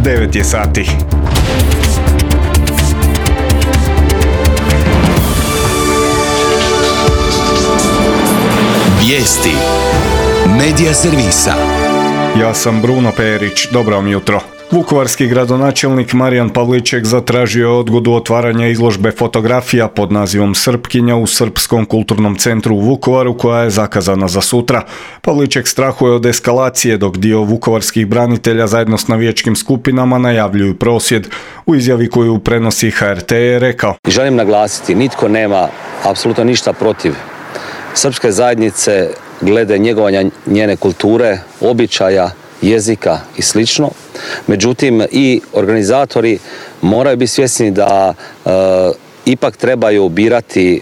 9 je sati. Vijesti Medija servisa. Ja sam Bruno Perić, dobro vam jutro. Vukovarski gradonačelnik Marijan Pavliček zatražio je odgodu otvaranja izložbe fotografija pod nazivom Srpkinja u Srpskom kulturnom centru u Vukovaru koja je zakazana za sutra. Pavliček strahuje od eskalacije dok dio vukovarskih branitelja zajedno s navijačkim skupinama najavljuju prosvjed. U izjavi koju prenosi HRT je rekao: Želim naglasiti, nitko nema apsolutno ništa protiv srpske zajednice glede njegovanja njene kulture, običaja, jezika i slično. Međutim, i organizatori moraju biti svjesni da ipak trebaju birati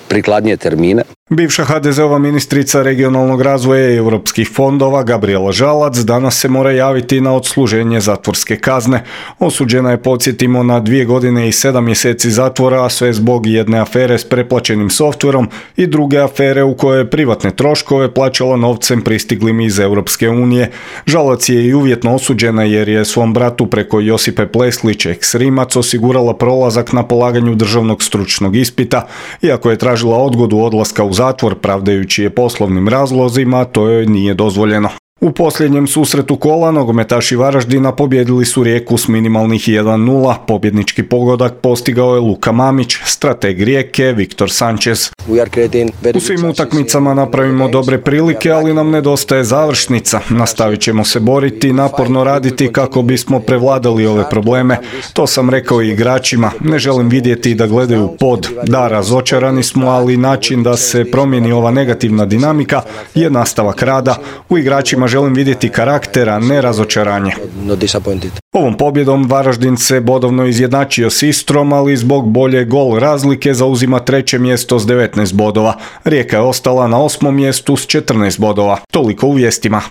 prikladnije termine. Bivša HDZ-ova ministrica regionalnog razvoja i europskih fondova Gabrijela Žalac danas se mora javiti na odsluženje zatvorske kazne. Osuđena je, podsjetimo, na 2 godine i 7 mjeseci zatvora, a sve zbog jedne afere s preplaćenim softverom i druge afere u kojoj je privatne troškove plaćala novcem pristiglim iz Europske unije. Žalac je i uvjetno osuđena jer je svom bratu preko Josipe Pleslić, ex-Rimac, osigurala prolazak na polaganju državnog stručnog ispita. Iako je tražila odgodu odlaska u zatvor pravdajući je poslovnim razlozima, to joj nije dozvoljeno. U posljednjem susretu kola nogometaši Varaždina pobjedili su Rijeku s minimalnih 1:0. Pobjednički pogodak postigao je Luka Mamić, strateg Rijeke Viktor Sanchez. U svim utakmicama napravimo dobre prilike, ali nam nedostaje završnica. Nastavit ćemo se boriti i naporno raditi kako bismo prevladali ove probleme. To sam rekao i igračima. Ne želim vidjeti da gledaju pod. Da, razočarani smo, ali način da se promijeni ova negativna dinamika je nastavak rada. U igračima želim vidjeti karaktera, ne razočaranje. Ovom pobjedom Varaždin se bodovno izjednačio s Istrom, ali zbog bolje gol razlike zauzima 3. mjesto s 19 bodova. Rijeka je ostala na 8. mjestu s 14 bodova. Toliko u vijestima.